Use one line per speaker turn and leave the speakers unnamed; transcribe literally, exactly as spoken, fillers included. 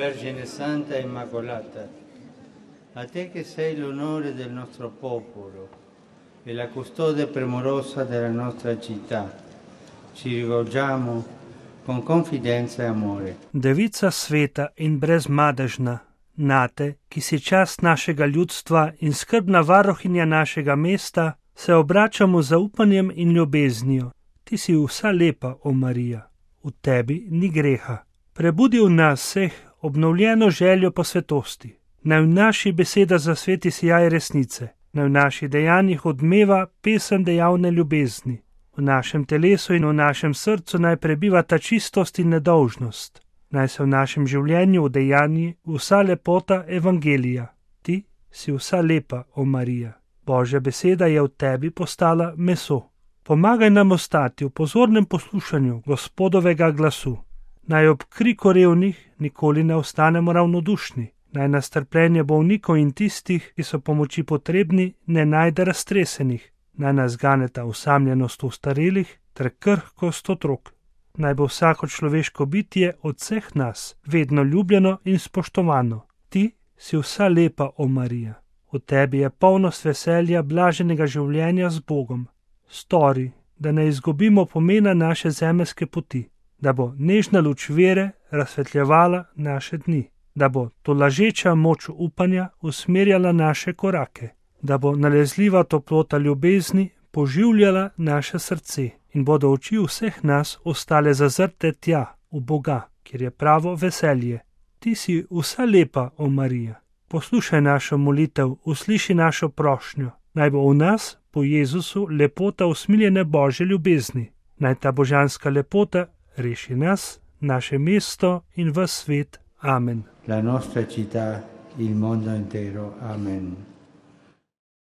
Vergine Santa e Immacolata, a te che sei l'onore del nostro popolo e la custode premurosa della nostra città, ci rivolgiamo con confidenza e amore.
Devica sveta in brezmadežna, nate, ki si čast našega ljudstva in skrbna varuhinja našega mesta, se obračamo z zaupanjem in ljubeznijo. Ti si vsa lepa, o Marija, v tebi ni greha. Prebudi v nas vseh obnovljeno željo po svetosti. Naj v naši beseda zasveti sijaj resnice, naj v naših dejanjih odmeva pesem dejavne ljubezni. V našem telesu in v našem srcu naj prebiva ta čistost in nedolžnost. Naj se v našem življenju udejanji vsa lepota evangelija. Ti si vsa lepa, o Marija. Božja beseda je v tebi postala meso. Pomagaj nam ostati v pozornem poslušanju Gospodovega glasu. Naj ob kriku revnih nikoli ne ostanemo ravnodušni. Naj nas trpljenje bolnikov in tistih, ki so pomoči potrebni, ne najde raztresenih. Naj nas ganeta osamljenost ostarelih ter krhkost otrok. Naj bo vsako človeško bitje od vseh nas vedno ljubljeno in spoštovano. Ti si vsa lepa, o Marija. V tebi je polnost veselja blaženega življenja z Bogom. Stori, da ne izgubimo pomena naše zemeljske poti, da bo nežna luč vere razsvetljevala naše dni, da bo to lažeča moč upanja usmerjala naše korake, da bo nalezljiva toplota ljubezni poživljala naše srce in bodo oči vseh nas ostale zazrte tja, v Boga, kjer je pravo veselje. Ti si vsa lepa, o Marija. Poslušaj našo molitev, usliši našo prošnjo. Naj bo v nas, po Jezusu, lepota usmiljene Božje ljubezni. Naj ta božanska lepota reši nas, naše mesto in ves svet. Amen.
La nostra città, il mondo intero. Amen.